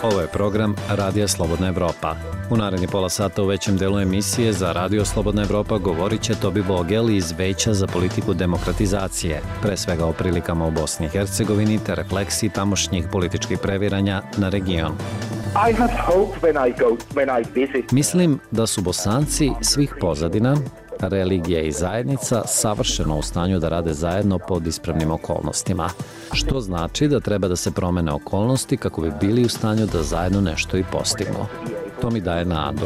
Ovo je program Radija Slobodna Evropa. U naredni pola sata u većem delu emisije za Radio Slobodna Evropa govorit će Tobi Vogel iz Veća za politiku demokratizacije, pre svega o prilikama u Bosni i Hercegovini te refleksiji tamošnjih političkih previranja na region. Mislim da su Bosanci svih pozadina, religija i zajednica savršeno u stanju da rade zajedno pod ispravnim okolnostima, što znači da treba da se promene okolnosti kako bi bili u stanju da zajedno nešto i postignu. To mi daje nadu.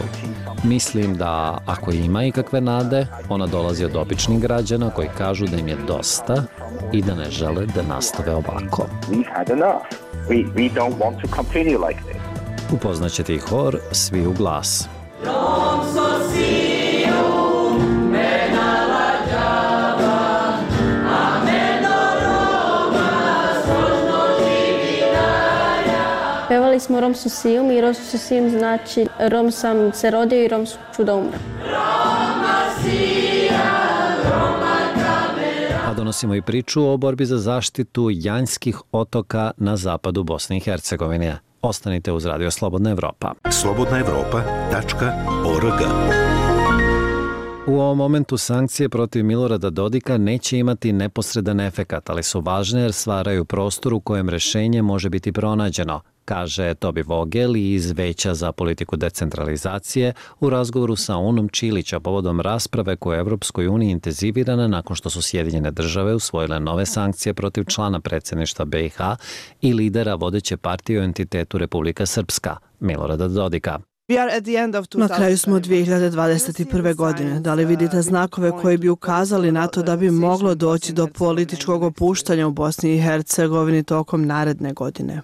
Mislim da ako ima ikakve nade, ona dolazi od običnih građana koji kažu da im je dosta i da ne žele da nastave ovako. Upoznaćete i hor Svi u glas. Pevali smo Romsu Sijum i Romsu Sijum znači Rom sam se rodio i Rom ću da umrem. A donosimo i priču o borbi za zaštitu Janjskih otoka na zapadu Bosne i Hercegovine. Ostanite uz Radio Slobodna Evropa. slobodnaevropa.org. U ovom momentu sankcije protiv Milorada Dodika neće imati neposredan efekat, ali su važne jer stvaraju prostor u kojem rešenje može biti pronađeno, kaže Tobi Vogel iz Veća za politiku decentralizacije u razgovoru sa Unom Čilića povodom rasprave koja je Evropskoj uniji intenzivirana nakon što su Sjedinjene države usvojile nove sankcije protiv člana predsjedništva BiH i lidera vodeće partije u entitetu Republika Srpska, Milorada Dodika. Na kraju smo 2021. godine. Da li vidite znakove koji bi ukazali na to da bi moglo doći do političkog opuštanja u Bosni i Hercegovini tokom naredne godine?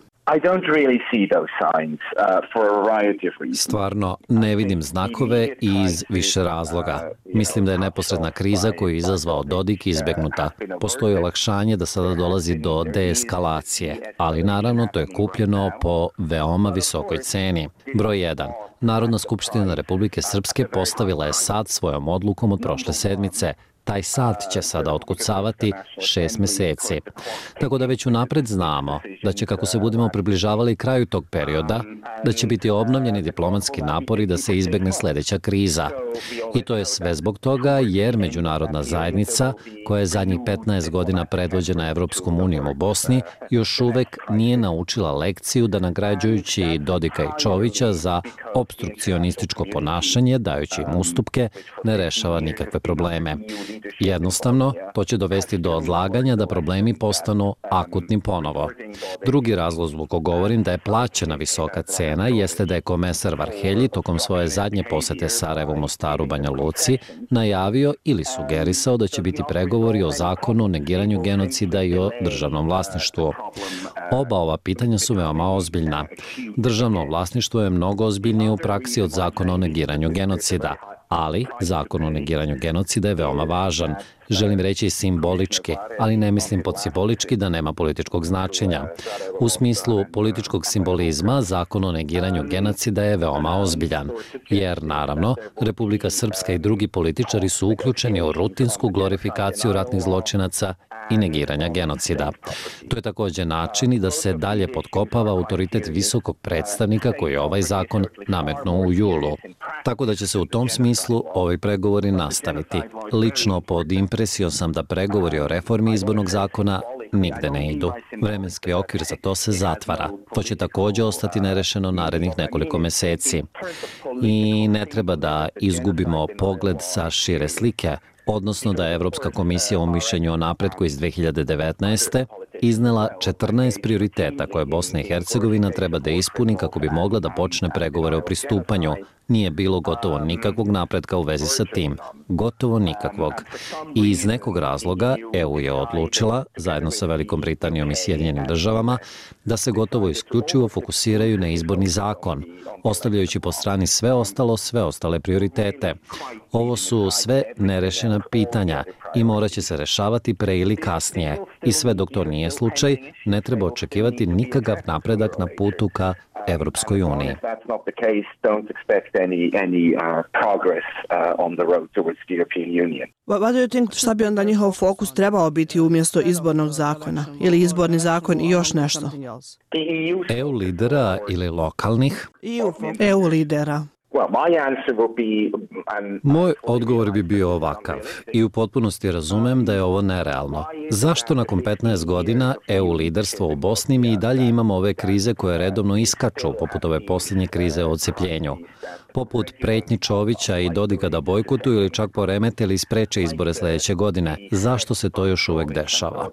Stvarno ne vidim znakove iz više razloga. Mislim da je neposredna kriza koju je izazvao Dodik izbegnuta. Postoji olakšanje da sada dolazi do deeskalacije, ali naravno to je kupljeno po veoma visokoj ceni. Broj 1. Narodna skupština Republike Srpske postavila je sat svojom odlukom od prošle sedmice. Taj sat će sada otkucavati 6 meseci. Tako da već unapred znamo da će, kako se budemo približavali kraju tog perioda, da će biti obnovljeni diplomatski napori da se izbegne sledeća kriza. I to je sve zbog toga jer međunarodna zajednica, koja je zadnjih 15 godina predvođena Evropskom unijom u Bosni, još uvek nije naučila lekciju da nagrađujući Dodika i Čovića za obstrukcionističko ponašanje, dajući im ustupke, ne rešava nikakve probleme. Jednostavno, to će dovesti do odlaganja da problemi postanu akutni ponovo. Drugi razlog zbog kog govorim da je plaćena visoka cena jeste da je komesar Varhelji tokom svoje zadnje posete Sarajevu, Mostaru, Banja Luci najavio ili sugerisao da će biti pregovori o zakonu o negiranju genocida i o državnom vlasništvu. Oba ova pitanja su veoma ozbiljna. Državno vlasništvo je mnogo ozbiljnije u praksi od zakona o negiranju genocida. Ali zakon o negiranju genocida je veoma važan. Želim reći simbolički, ali ne mislim pod simbolički da nema političkog značenja. U smislu političkog simbolizma, zakon o negiranju genocida je veoma ozbiljan, jer naravno Republika Srpska i drugi političari su uključeni u rutinsku glorifikaciju ratnih zločinaca i negiranja genocida. To je također način i da se dalje potkopava autoritet visokog predstavnika koji je ovaj zakon nametnuo u julu. Tako da će se u tom smislu ovi pregovori nastaviti. Lično pod impresijom sam da pregovori o reformi izbornog zakona nigde ne idu. Vremenski okvir za to se zatvara. To će također ostati nerešeno narednih nekoliko meseci. I ne treba da izgubimo pogled sa šire slike, odnosno da je Evropska komisija u mišljenju o napretku iz 2019. iznela 14 prioriteta koje Bosna i Hercegovina treba da ispuni kako bi mogla da počne pregovore o pristupanju. Nije bilo gotovo nikakvog napretka u vezi sa tim. Gotovo nikakvog. I iz nekog razloga EU je odlučila, zajedno sa Velikom Britanijom i Sjedinjenim državama, da se gotovo isključivo fokusiraju na izborni zakon, ostavljajući po strani sve ostale prioritete. Ovo su sve nerešena pitanja i morat će se rešavati pre ili kasnije. I sve dok to nije slučaj, ne treba očekivati nikakav napredak na putu ka Evropskoj uniji. Šta bi onda njihov fokus trebao biti umjesto izbornog zakona? Ili izborni zakon i još nešto? EU lidera ili lokalnih? EU lidera. Moj odgovor bi bio ovakav i u potpunosti razumem da je ovo nerealno. Zašto nakon 15 godina EU liderstvo u Bosni mi i dalje imamo ove krize koje redovno iskaču, poput ove posljednje krize o odcepljenju? Poput pretnji Čovića i Dodika da bojkotuju ili čak poremete ili spreče izbore sljedeće godine. Zašto se to još uvek dešava?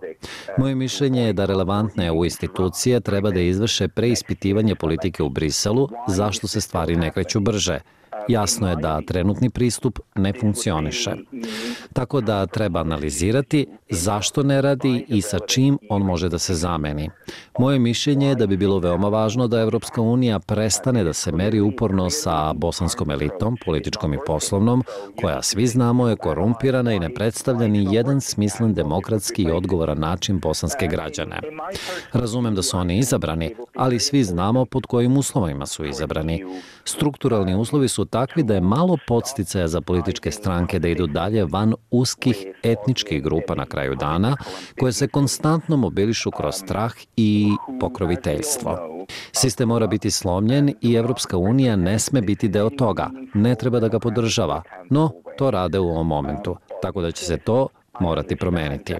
Moje mišljenje je da relevantne EU institucije treba da izvrše preispitivanje politike u Briselu, zašto se stvari ne kreću brže. Jasno je da trenutni pristup ne funkcioniše. Tako da treba analizirati zašto ne radi i sa čim on može da se zameni. Moje mišljenje je da bi bilo veoma važno da Evropska unija prestane da se meri uporno sa bosanskom elitom, političkom i poslovnom, koja svi znamo je korumpirana i ne predstavlja ni jedan smislen demokratski i odgovoran način bosanske građane. Razumem da su oni izabrani, ali svi znamo pod kojim uslovima su izabrani. Strukturalni uslovi su takvi da je malo podsticaja za političke stranke da idu dalje van uskih etničkih grupa na kraju dana, koje se konstantno mobilišu kroz strah i pokroviteljstvo. Sistem mora biti slomljen i Evropska unija ne sme biti deo toga. Ne treba da ga podržava, no to rade u ovom momentu, tako da će se to morati promeniti.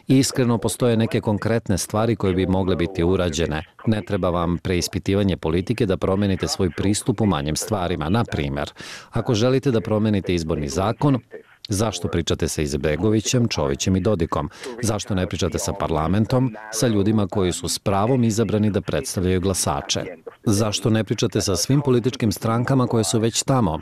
Iskreno, postoje neke konkretne stvari koje bi mogle biti urađene. Ne treba vam preispitivanje politike da promenite svoj pristup u manjim stvarima. Na primjer, ako želite da promenite izborni zakon, zašto pričate sa Izetbegovićem, Čovićem i Dodikom? Zašto ne pričate sa parlamentom, sa ljudima koji su s pravom izabrani da predstavljaju glasače? Zašto ne pričate sa svim političkim strankama koje su već tamo?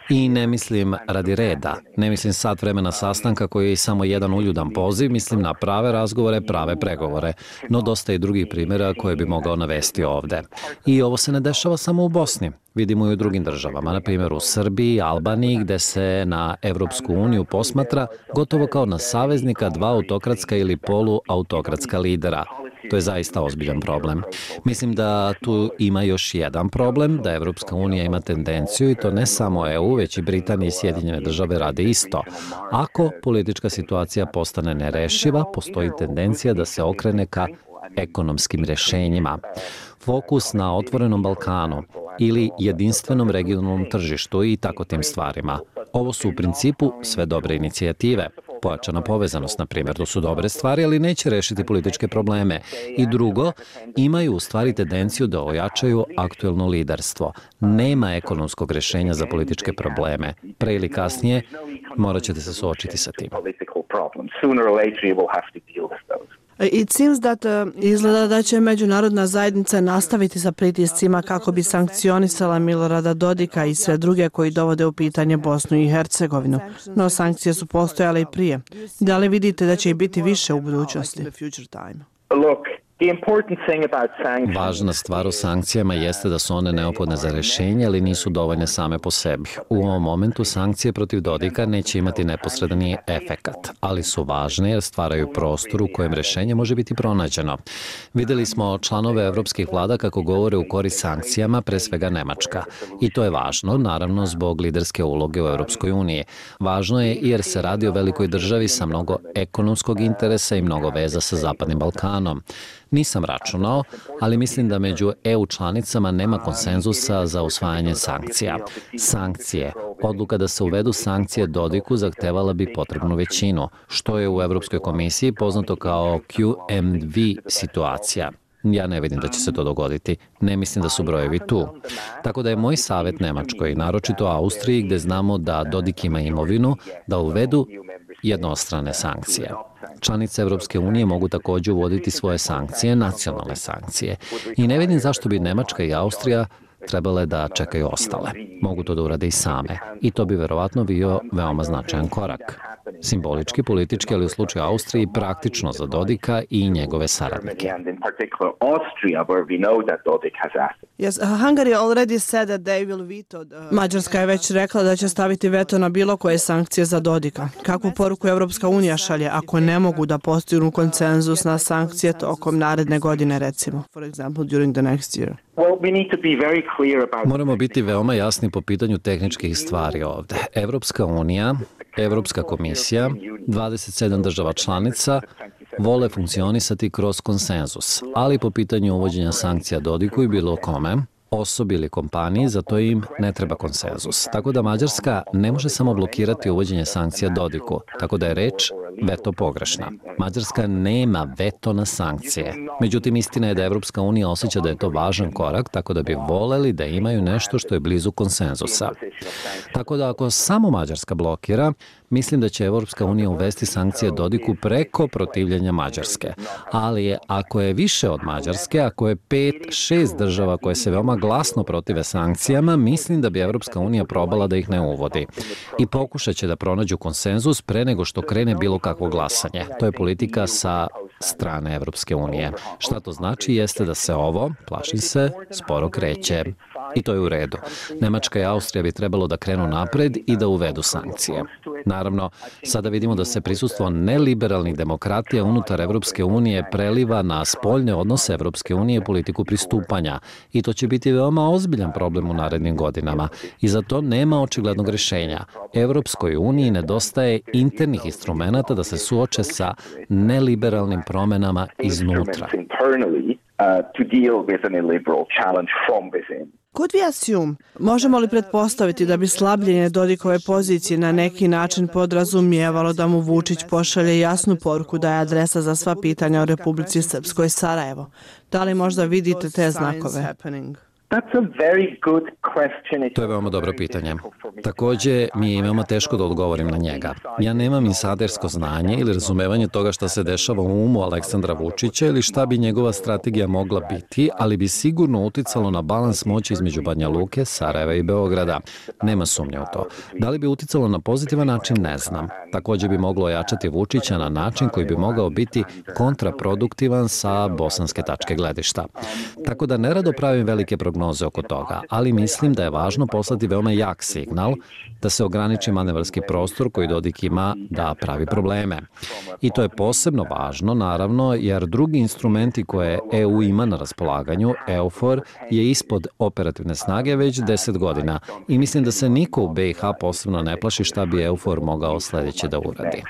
I ne mislim radi reda, ne mislim sat vremena sastanka koji je samo jedan uljudan poziv, mislim na prave razgovore, prave pregovore, no dosta i drugih primjera koje bi mogao navesti ovde. I ovo se ne dešava samo u Bosni, vidimo i u drugim državama, na primjer u Srbiji, Albaniji, gde se na Evropsku uniju posmatra gotovo kao na saveznika dva autokratska ili poluautokratska lidera. To je zaista ozbiljan problem. Mislim da tu ima još jedan problem, da Evropska unija ima tendenciju, i to ne samo EU, već i Britanija i Sjedinjene države rade isto. Ako politička situacija postane nerešiva, postoji tendencija da se okrene ka ekonomskim rešenjima. Fokus na otvorenom Balkanu ili jedinstvenom regionalnom tržištu i tako tim stvarima. Ovo su u principu sve dobre inicijative. Pojačana povezanost, na primjer, to su dobre stvari, ali neće rešiti političke probleme. I drugo, imaju u stvari tendenciju da ojačaju aktuelno liderstvo. Nema ekonomskog rešenja za političke probleme. Pre ili kasnije morat ćete se suočiti sa tim. Izgleda da će međunarodna zajednica nastaviti sa pritiscima kako bi sankcionisala Milorada Dodika i sve druge koji dovode u pitanje Bosnu i Hercegovinu. No sankcije su postojale i prije. Da li vidite da će ih biti više u budućnosti? Važna stvar u sankcijama jeste da su one neophodne za rešenje, ali nisu dovoljne same po sebi. U ovom momentu sankcije protiv Dodika neće imati neposredni efekat, ali su važne jer stvaraju prostor u kojem rešenje može biti pronađeno. Videli smo članove evropskih vlada kako govore u korist sankcijama, pre svega Nemačka. I to je važno, naravno, zbog liderske uloge u Evropskoj uniji. Važno je jer se radi o velikoj državi sa mnogo ekonomskog interesa i mnogo veza sa Zapadnim Balkanom. Nisam računao, ali mislim da među EU članicama nema konsenzusa za usvajanje sankcija. Sankcije. Odluka da se uvedu sankcije Dodiku zahtevala bi potrebnu većinu, što je u Evropskoj komisiji poznato kao QMV situacija. Ja ne vidim da će se to dogoditi. Ne mislim da su brojevi tu. Tako da je moj savjet Nemačkoj, naročito Austriji, gde znamo da Dodik ima imovinu, da uvedu jednostrane sankcije. Članice Evropske unije mogu također uvoditi svoje sankcije, nacionalne sankcije. I ne vidim zašto bi Nemačka i Austrija trebale da čekaju ostale. Mogu to da urade i same. I to bi verovatno bio veoma značajan korak. Simbolički, politički, ali u slučaju Austriji praktično za Dodika i njegove saradnike. Mađarska je već rekla da će staviti veto na bilo koje sankcije za Dodika. Kakvu poruku Evropska unija šalje ako ne mogu da postignu konsenzus na sankcije tokom naredne godine, recimo? For example, during the next year. Moramo biti veoma jasni po pitanju tehničkih stvari ovde. Evropska unija, Evropska komisija, 27 država članica vole funkcionisati kroz konsenzus, ali po pitanju uvođenja sankcija Dodiku i bilo kome, osobi ili kompaniji, za to im ne treba konsenzus. Tako da Mađarska ne može samo blokirati uvođenje sankcija Dodiku, tako da je reč veto pogrešna. Mađarska nema veto na sankcije. Međutim, istina je da Evropska unija osjeća da je to važan korak, tako da bi voleli da imaju nešto što je blizu konsenzusa. Tako da ako samo Mađarska blokira, mislim da će Evropska unija uvesti sankcije Dodiku preko protivljenja Mađarske. Ali ako je više od Mađarske, ako je 5-6 država koje se veoma glasno protive sankcijama, mislim da bi Evropska unija probala da ih ne uvodi. I pokušat će da pronađu konsenzus pre nego što krene bilo kakvo glasanje. To je politika sa strane Evropske unije. Šta to znači jeste da se ovo, plašim se, sporo kreće. I to je u redu. Nemačka i Austrija bi trebalo da krenu napred i da uvedu sankcije. Naravno, sada vidimo da se prisustvo neliberalnih demokratija unutar Evropske unije preliva na spoljne odnose Evropske unije i politiku pristupanja. I to će biti veoma ozbiljan problem u narednim godinama. I za to nema očiglednog rešenja. Evropskoj uniji nedostaje internih instrumenata da se suoče sa neliberalnim promenama iznutra. Could we assume, možemo li pretpostaviti da bi slabljenje Dodikove pozicije na neki način podrazumijevalo da mu Vučić pošalje jasnu poruku da je adresa za sva pitanja o Republici Srpskoj Sarajevo? Da li možda vidite te znakove? To je veoma dobro pitanje. Takođe, mi je veoma teško da odgovorim na njega. Ja nemam insidersko znanje ili razumevanje toga šta se dešava u umu Aleksandra Vučića ili šta bi njegova strategija mogla biti, ali bi sigurno uticalo na balans moći između Banja Luke, Sarajeva i Beograda. Nema sumnje u to. Da li bi uticalo na pozitivan način, ne znam. Takođe bi moglo ojačati Vučića na način koji bi mogao biti kontraproduktivan sa bosanske tačke gledišta. Tako da nerado pravim velike prognoze oko toga, ali mislim da je važno poslati veoma jak signal da se ograniči manevarski prostor koji Dodik ima da pravi probleme. I to je posebno važno, naravno, jer drugi instrumenti koje EU ima na raspolaganju, EUFOR, je ispod operativne snage već 10 godina i mislim da se niko u BiH posebno ne plaši šta bi EUFOR mogao sledeće da uradi.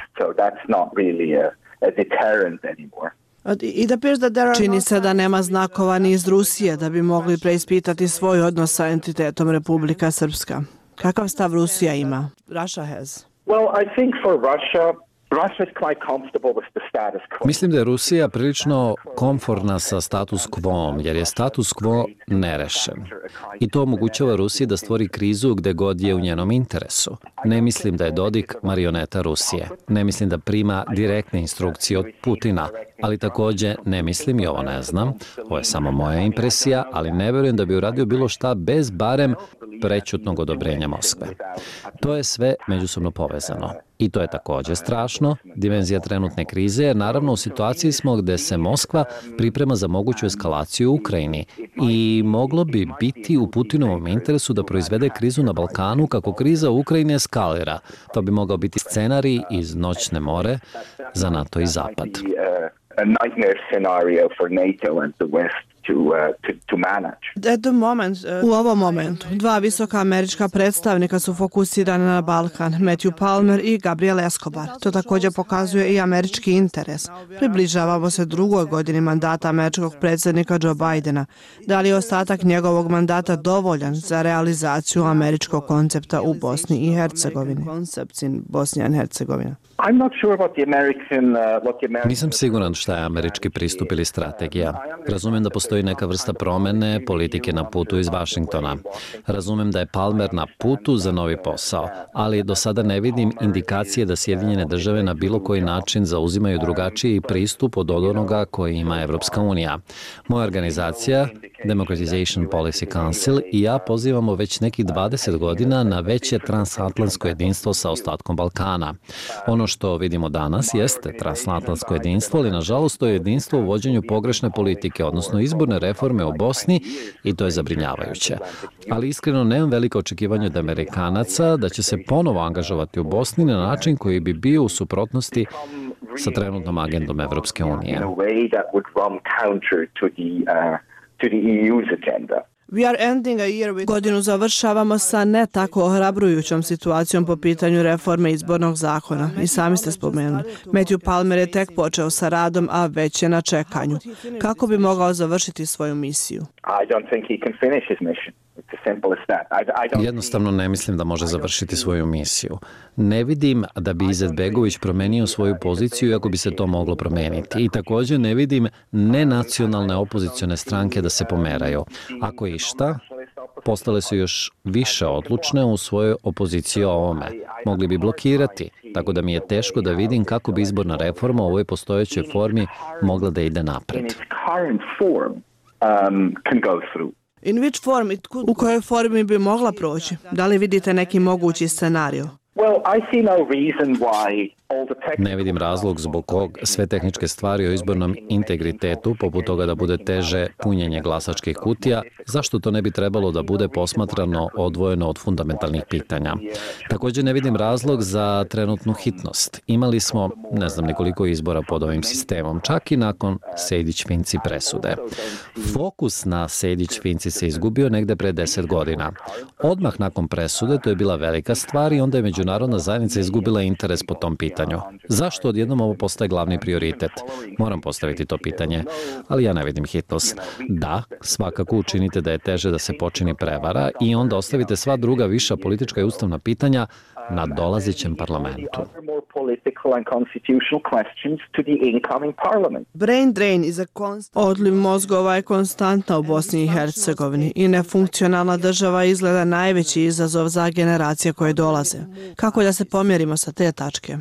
Čini se da nema znakova ni iz Rusije da bi mogli preispitati svoj odnos sa entitetom Republika Srpska. Kakav stav Rusija ima? Russia has. Mislim da je Rusija prilično komforna sa status quo, jer je status quo nerešen. I to omogućava Rusiji da stvori krizu gde god je u njenom interesu. Ne mislim da je Dodik marioneta Rusije. Ne mislim da prima direktne instrukcije od Putina, ali takođe ne mislim, i ovo ne znam, ovo je samo moja impresija, ali ne verujem da bi uradio bilo šta bez barem prećutnog odobrenja Moskve. To je sve međusobno povezano. I to je takođe strašno, dimenzija trenutne krize, jer naravno u situaciji smo gde se Moskva priprema za moguću eskalaciju u Ukrajini i moglo bi biti u Putinovom interesu da proizvede krizu na Balkanu kako kriza u Ukrajini eskalira. To bi mogao biti scenarij iz Noćne more za NATO i Zapad. U ovom momentu, dva visoka američka predstavnika su fokusirana na Balkan, Matthew Palmer i Gabriel Escobar. To također pokazuje i američki interes. Približavamo se drugoj godini mandata američkog predsjednika Joe Bidena. Da li je ostatak njegovog mandata dovoljan za realizaciju američkog koncepta u Bosni i Hercegovini? Nisam siguran šta je američki pristup ili strategija. Razumem da postoji neka vrsta promene politike na putu iz Vašingtona. Razumem da je Palmer na putu za novi posao, ali do sada ne vidim indikacije da Sjedinjene države na bilo koji način zauzimaju drugačiji pristup od onoga koji ima Evropska unija. Moja organizacija, Democratization Policy Council, i ja pozivamo već nekih 20 godina na veće transatlantsko jedinstvo sa ostatkom Balkana. Ono što vidimo danas jeste transatlantsko jedinstvo, ali nažalost to je jedinstvo u vođenju pogrešne politike, odnosno izborne reforme u Bosni, i to je zabrinjavajuće. Ali iskreno nemam veliko očekivanje od Amerikanaca da će se ponovo angažovati u Bosni na način koji bi bio u suprotnosti sa trenutnom agendom Evropske unije. Godinu završavamo sa ne tako ohrabrujućom situacijom po pitanju reforme izbornog zakona. I sami ste spomenuli. Matthew Palmer je tek počeo sa radom, a već je na čekanju. Kako bi mogao završiti svoju misiju? Jednostavno ne mislim da može završiti svoju misiju. Ne vidim da bi Izetbegović promenio svoju poziciju iako bi se to moglo promeniti. I također ne vidim nenacionalne opozicione stranke da se pomeraju. Ako išta, postale su još više odlučne u svojoj opoziciji o ovome. Mogli bi blokirati, tako da mi je teško da vidim kako bi izborna reforma u ovoj postojećoj formi mogla da ide napred. U kojoj formi bi mogla proći? Da li vidite neki mogući scenariju? Ne vidim razlog zbog kog sve tehničke stvari o izbornom integritetu, poput toga da bude teže punjenje glasačkih kutija, zašto to ne bi trebalo da bude posmatrano odvojeno od fundamentalnih pitanja. Također ne vidim razlog za trenutnu hitnost. Imali smo, ne znam nekoliko izbora pod ovim sistemom, čak i nakon Sejdić-Finci presude. Fokus na Sejdić-Finci se izgubio negde pre 10 godina. Odmah nakon presude to je bila velika stvar i onda je međunarodna zajednica izgubila interes po tom pitanju. Zašto odjednom ovo postaje glavni prioritet? Moram postaviti to pitanje, ali ja ne vidim hitnost. Da, svakako učinite da je teže da se počini prevara i onda ostavite sva druga viša politička i ustavna pitanja na dolazećem parlamentu. Odliv mozgova je konstantna u Bosni i Hercegovini i nefunkcionalna država izgleda najveći izazov za generacije koje dolaze. Kako da se pomjerimo sa te tačke?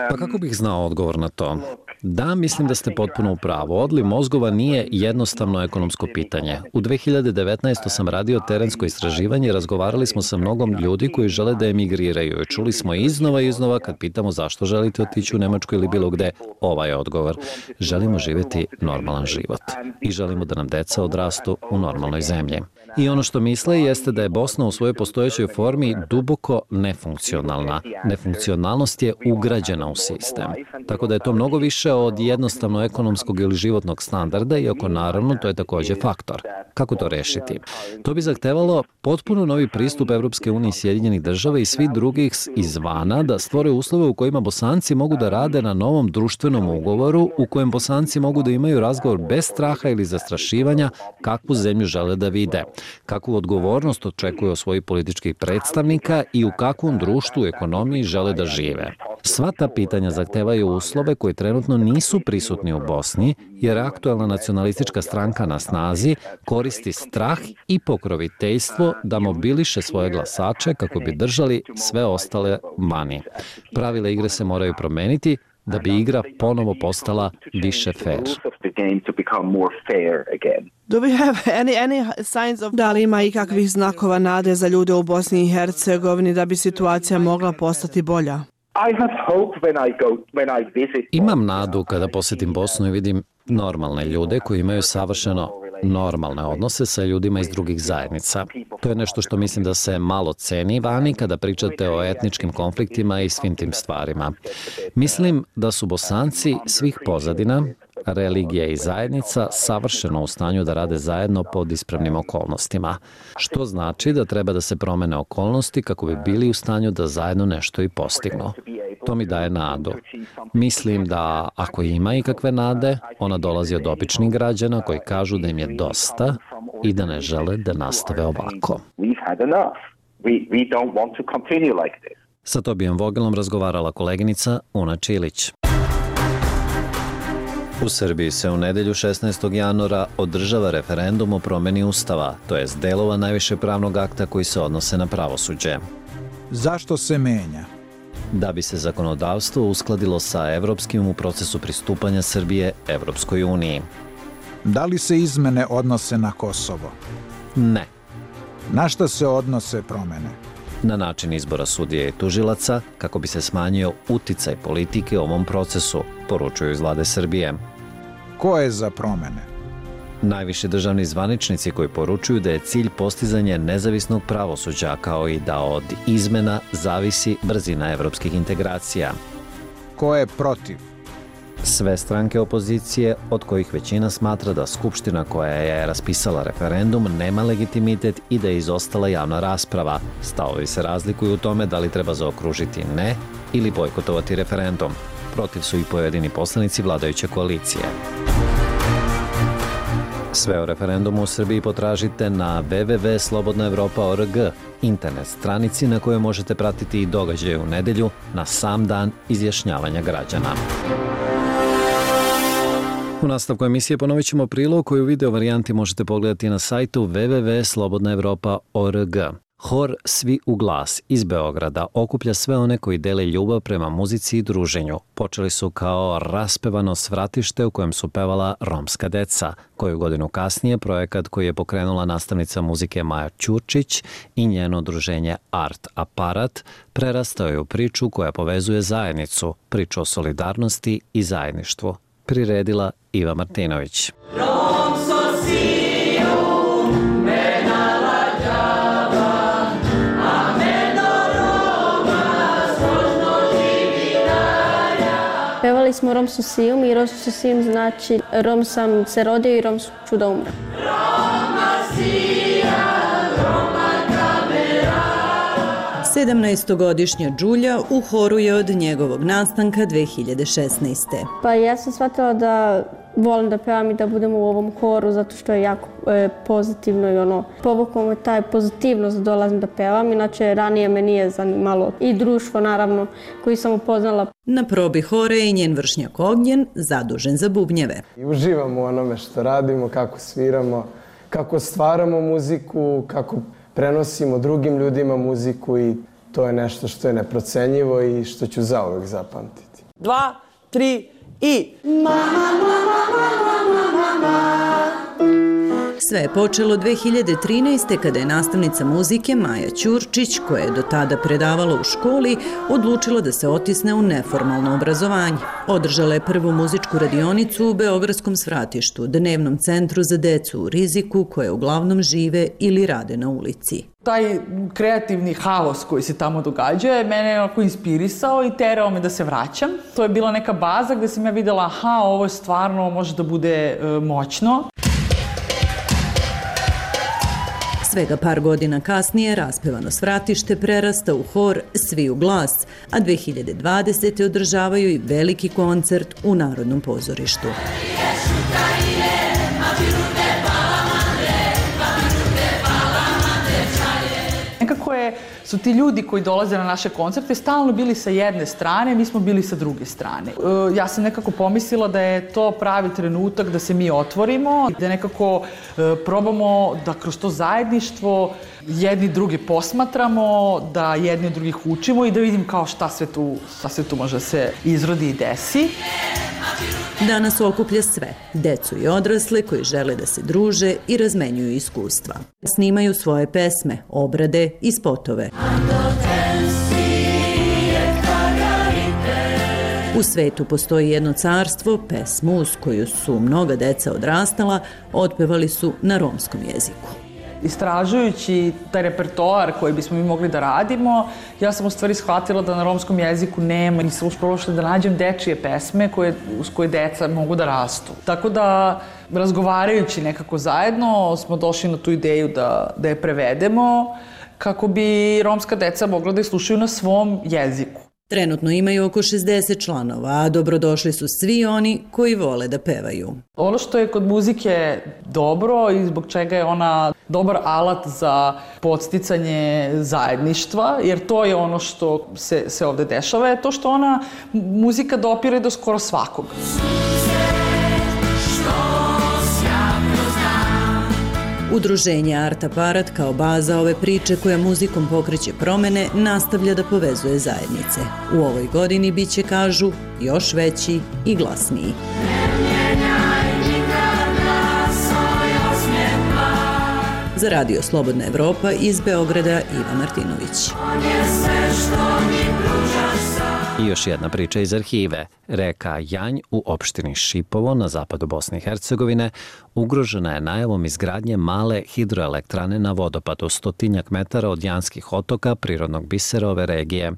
Pa kako bih znao odgovor na to? Da, mislim da ste potpuno u pravu. Odliv mozgova nije jednostavno ekonomsko pitanje. U 2019. sam radio terensko istraživanje i razgovarali smo sa mnogom ljudi koji žele da emigriraju. Čuli smo iznova i iznova kad pitamo zašto želite otići u Nemačku ili bilo gde, ovaj je odgovor. Želimo živjeti normalan život i želimo da nam deca odrastu u normalnoj zemlji. I ono što misle jeste da je Bosna u svojoj postojećoj formi duboko nefunkcionalna. Nefunkcionalnost je ugrađena u sistem. Tako da je to mnogo više od jednostavno ekonomskog ili životnog standarda, iako naravno to je također faktor. Kako to rešiti? To bi zahtevalo potpuno novi pristup Evropske unije i Sjedinjenih država i svi drugih izvana da stvore uslove u kojima Bosanci mogu da rade na novom društvenom ugovoru u kojem Bosanci mogu da imaju razgovor bez straha ili zastrašivanja kakvu zemlju žele da vide, kakvu odgovornost očekuju od svojih političkih predstavnika i u kakvom društvu i ekonomiji žele da žive. Sva ta pitanja zahtevaju uslove koji trenutno nisu prisutni u Bosni, jer aktuelna nacionalistička stranka na snazi koristi strah i pokroviteljstvo da mobiliše svoje glasače kako bi držali sve ostale vani. Pravila igre se moraju promeniti da bi igra ponovo postala više fair. Da li ima ikakvih znakova nade za ljude u Bosni i Hercegovini da bi situacija mogla postati bolja? Imam nadu kada posjetim Bosnu i vidim normalne ljude koji imaju savršeno normalne odnose sa ljudima iz drugih zajednica. To je nešto što mislim da se malo ceni vani kada pričate o etničkim konfliktima i svim tim stvarima. Mislim da su Bosanci svih pozadina, religija i zajednica savršeno u stanju da rade zajedno pod ispravnim okolnostima, što znači da treba da se promene okolnosti kako bi bili u stanju da zajedno nešto i postignu. To mi daje nadu. Mislim da ako ima ikakve nade, ona dolazi od običnih građana koji kažu da im je dosta i da ne žele da nastave ovako. Sa Tobijem Vogelom razgovarala koleginica Una Čilić. U Srbiji se u nedelju 16. januara održava referendum o promeni Ustava, to jest delova najviše pravnog akta koji se odnose na pravosuđe. Zašto se menja? Da bi se zakonodavstvo uskladilo sa evropskim u procesu pristupanja Srbije Evropskoj uniji. Da li se izmene odnose na Kosovo? Ne. Na šta se odnose promene? Na način izbora sudija i tužilaca kako bi se smanjio uticaj politike u ovom procesu, poručuju iz vlade Srbije. Ko je za promene? Najviši državni zvaničnici koji poručuju da je cilj postizanje nezavisnog pravosuđa kao i da od izmena zavisi brzina evropskih integracija. Ko je protiv? Sve stranke opozicije, od kojih većina smatra da Skupština koja je raspisala referendum nema legitimitet i da je izostala javna rasprava, stavovi se razlikuju u tome da li treba zaokružiti ne ili bojkotovati referendum. Protiv su i pojedini poslanici vladajuće koalicije. Sve o referendumu u Srbiji potražite na www.slobodnaevropa.org, internet stranici na kojoj možete pratiti i događaje u nedelju na sam dan izjašnjavanja građana. U nastavku emisije ponovit ćemo prilog koji u video varijanti možete pogledati na sajtu www.slobodnaevropa.org. Hor Svi u glas iz Beograda okuplja sve one koji dele ljubav prema muzici i druženju. Počeli su kao raspevano svratište u kojem su pevala romska deca. Koju godinu kasnije projekat koji je pokrenula nastavnica muzike Maja Ćurčić i njeno udruženje Art Aparat prerastao je u priču koja povezuje zajednicu, priču o solidarnosti i zajedništvu. Priredila Iva Martinović. Pevali smo Rom su sim i Rom su sim znači Rom sam se rodio i Rom ću da umrem. 17-godišnja Đulja u horu je od njegovog nastanka 2016. Pa ja sam shvatila da volim da pevam i da budem u ovom horu zato što je jako pozitivno i povuklo me taj pozitivnost da dolazim da pevam, inače ranije me nije zanimalo i društvo naravno koji sam upoznala. Na probi hore je i njen vršnjak Ognjen, zadužen za bubnjeve. Uživamo u onome što radimo, kako sviramo, kako stvaramo muziku, kako prenosimo drugim ljudima muziku i to je nešto što je neprocenjivo i što ću zauvek zapamtiti. 2, 3 i... Sve je počelo 2013. kada je nastavnica muzike Maja Ćurčić, koja je do tada predavala u školi, odlučila da se otisne u neformalno obrazovanje. Održala je prvu muzičku radionicu u Beogradskom svratištu, dnevnom centru za decu u riziku, koje uglavnom žive ili rade na ulici. Taj kreativni haos koji se tamo događa mene je onako inspirisao i terao me da se vraćam. To je bila neka baza gde sam ja videla, aha, ovo je stvarno može da bude moćno. Svega par godina kasnije raspevano svratište prerasta u hor Svi u glas, a 2020. održavaju i veliki koncert u Narodnom pozorištu. Nekako su ti ljudi koji dolaze na naše koncerte stalno bili sa jedne strane, mi smo bili sa druge strane. Ja sam nekako pomislila da je to pravi trenutak da se mi otvorimo, da nekako probamo da kroz to zajedništvo jedni druge posmatramo, da jedni od drugih učimo i da vidim kao šta sve tu može se izrodi i desi. Danas okuplja sve, decu i odrasle koji žele da se druže i razmenjuju iskustva. Snimaju svoje pesme, obrade i spotove. U svetu postoji jedno carstvo, pesmu uz koju su mnoga deca odrastala, otpevali su na romskom jeziku. Istražujući taj repertoar koji bismo mi mogli da radimo, ja sam u stvari shvatila da na romskom jeziku nema, nisam uspela da nađem dečije pesme uz koje deca mogu da rastu. Tako da, razgovarajući nekako zajedno, smo došli na tu ideju da je prevedemo kako bi romska deca mogla da je slušaju na svom jeziku. Trenutno imaju oko 60 članova, a dobrodošli su svi oni koji vole da pevaju. Ono što je kod muzike dobro i zbog čega je ona dobar alat za podsticanje zajedništva, jer to je ono što se ovde dešava, je to što ona muzika dopire do skoro svakog. Udruženje Art Aparat kao baza ove priče koja muzikom pokreće promene nastavlja da povezuje zajednice. U ovoj godini biće, kažu, još veći i glasniji. Za Radio Slobodna Evropa iz Beograda Iva Martinović. I još jedna priča iz arhive. Reka Janj u opštini Šipovo na zapadu Bosne i Hercegovine ugrožena je najavom izgradnje male hidroelektrane na vodopadu 100 metara od Janskih otoka, prirodnog bisera ove regije.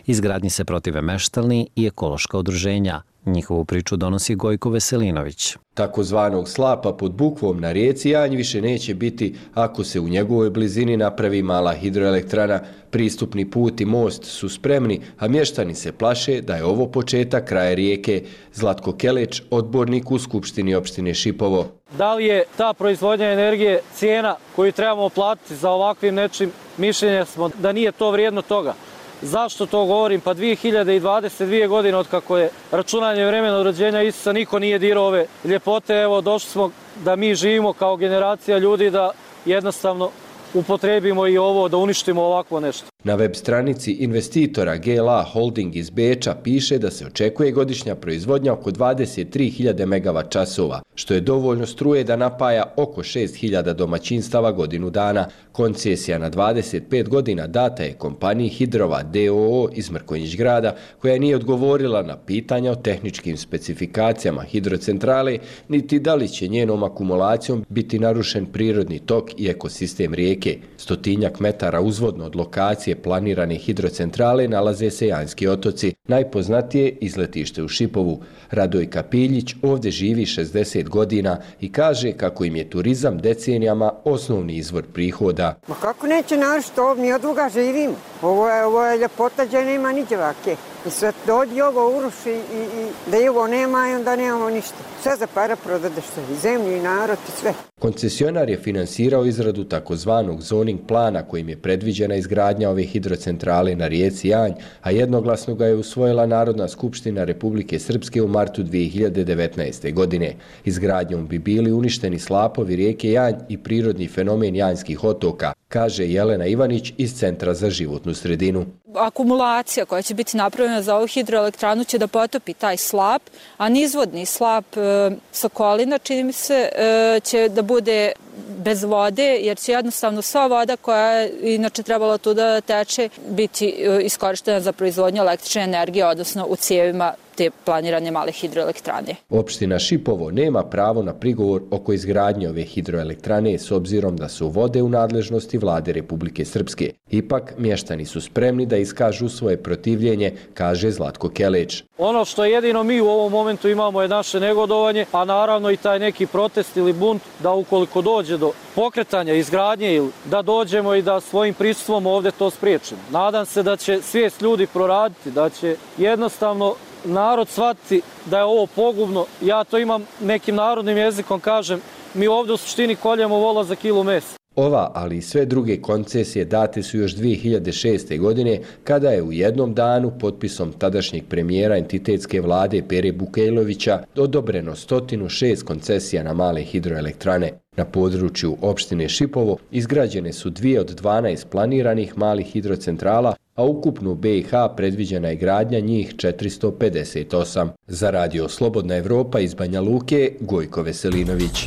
Izgradnji se protive meštalni i ekološka udruženja. Njihovu priču donosi Gojko Veselinović. Takozvanog slapa pod Bukvom na rijeci Janj više neće biti ako se u njegovoj blizini napravi mala hidroelektrana. Pristupni put i most su spremni, a mještani se plaše da je ovo početak kraja rijeke. Zlatko Keleć, odbornik u Skupštini opštine Šipovo. Da li je ta proizvodnja energije cijena koju trebamo platiti za ovakvim nečim? Mišljenja smo da nije to vrijedno toga. Zašto to govorim? Pa 2022 godine od kako je računanje vremena od rođenja Isusa niko nije dirao ove ljepote. Evo, došli smo da mi živimo kao generacija ljudi da jednostavno upotrebimo i ovo, da uništimo ovakvo nešto. Na web stranici investitora GLA Holding iz Beča piše da se očekuje godišnja proizvodnja oko 23.000 MWh, što je dovoljno struje da napaja oko 6.000 domaćinstava godinu dana. Koncesija na 25 godina data je kompaniji Hidrova DOO iz Mrkonjić grada, koja nije odgovorila na pitanja o tehničkim specifikacijama hidrocentrale, niti da li će njenom akumulacijom biti narušen prirodni tok i ekosistem rijeke. 100-tinjak metara uzvodno od lokacije planirane hidrocentrale nalaze se Janjski otoci, najpoznatije izletište u Šipovu. Radojka Piljić ovdje živi 60 godina i kaže kako im je turizam decenijama osnovni izvor prihoda. Ma kako neće narušiti, mi od duga živimo. Ovo je ljepota gdje nema niđe vake. I sve dođi ovo uruši i da ovo nema i onda nemamo ništa. Sve za para prodadeš se, i zemlju i narod i sve. Koncesionar je finansirao izradu takozvanog zoning plana kojim je predviđena izgradnja ove hidrocentrale na rijeci Janj, a jednoglasno ga je usvojila Narodna skupština Republike Srpske u martu 2019. godine. Izgradnjom bi bili uništeni slapovi rijeke Janj i prirodni fenomen Janjskih otoka, kaže Jelena Ivanić iz Centra za životnu sredinu. Akumulacija koja će biti napravljena za ovu hidroelektranu će da potopi taj slap, a nizvodni slap Sokolina, čini mi se, će da bude bez vode, jer će jednostavno sva voda koja je inače trebala tu da teče biti iskorištena za proizvodnju električne energije, odnosno u cijevima te planirane male hidroelektrane. Opština Šipovo nema pravo na prigovor oko izgradnje ove hidroelektrane s obzirom da su vode u nadležnosti Vlade Republike Srpske. Ipak, mještani su spremni da iskažu svoje protivljenje, kaže Zlatko Keleć. Ono što jedino mi u ovom momentu imamo je naše negodovanje, a naravno i taj neki protest ili bunt da ukoliko dođe do pokretanja, izgradnje ili da dođemo i da svojim prisustvom ovdje to spriječimo. Nadam se da će svijest ljudi proraditi, da će jednostavno narod shvatiti da je ovo pogubno. Ja to imam nekim narodnim jezikom, kažem, mi ovdje u suštini koljemo vola za kilu mesa. Ova, ali i sve druge koncesije date su još 2006. godine, kada je u jednom danu potpisom tadašnjeg premijera entitetske vlade Pere Bukejlovića odobreno 106 koncesija na male hidroelektrane. Na području opštine Šipovo izgrađene su 2 od 12 planiranih malih hidrocentrala, a ukupno u BiH predviđena je gradnja njih 458. Za Radio Slobodna Evropa iz Banja Luke, Gojko Veselinović.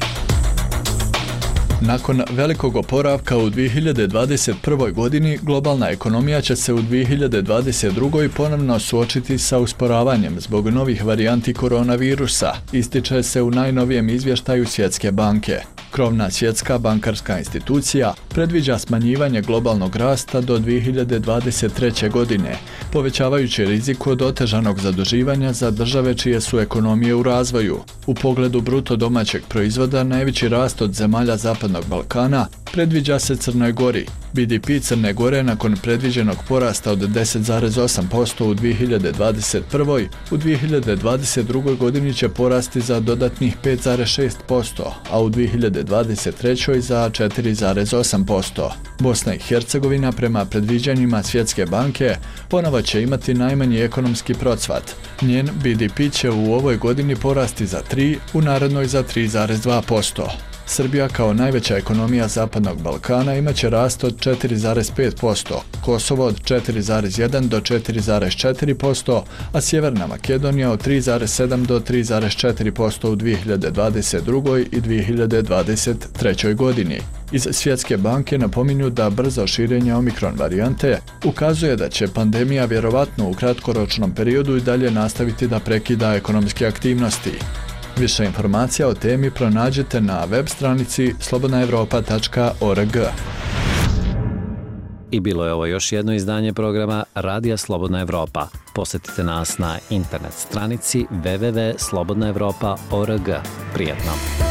Nakon velikog oporavka u 2021. godini, globalna ekonomija će se u 2022. ponovno suočiti sa usporavanjem zbog novih varijanti koronavirusa, ističe se u najnovijem izvještaju Svjetske banke. Krovna svjetska bankarska institucija predviđa smanjivanje globalnog rasta do 2023. godine, povećavajući rizik od otežanog zaduživanja za države čije su ekonomije u razvoju. U pogledu bruto domaćeg proizvoda najveći rast od zemalja Zapadnog Balkana predviđa se Crnoj Gori. BDP Crne Gore nakon predviđenog porasta od 10,8% u 2021. u 2022. godini će porasti za dodatnih 5,6%, a u 2023. za 4,8%. Bosna i Hercegovina prema predviđanjima Svjetske banke ponovo će imati najmanji ekonomski procvat. Njen BDP će u ovoj godini porasti za 3, u narednoj za 3,2%. Srbija kao najveća ekonomija Zapadnog Balkana imaće rast od 4,5%, Kosovo od 4,1 do 4,4%, a Sjeverna Makedonija od 3,7 do 3,4% u 2022. i 2023. godini. Iz Svjetske banke napominju da brzo širenje omikron varijante ukazuje da će pandemija vjerovatno u kratkoročnom periodu i dalje nastaviti da prekida ekonomske aktivnosti. Više informacija o temi pronađete na web stranici slobodnaevropa.org. I bilo je ovo još jedno izdanje programa Radija Slobodna Evropa. Posetite nas na internet stranici www.slobodnaevropa.org. Prijetno!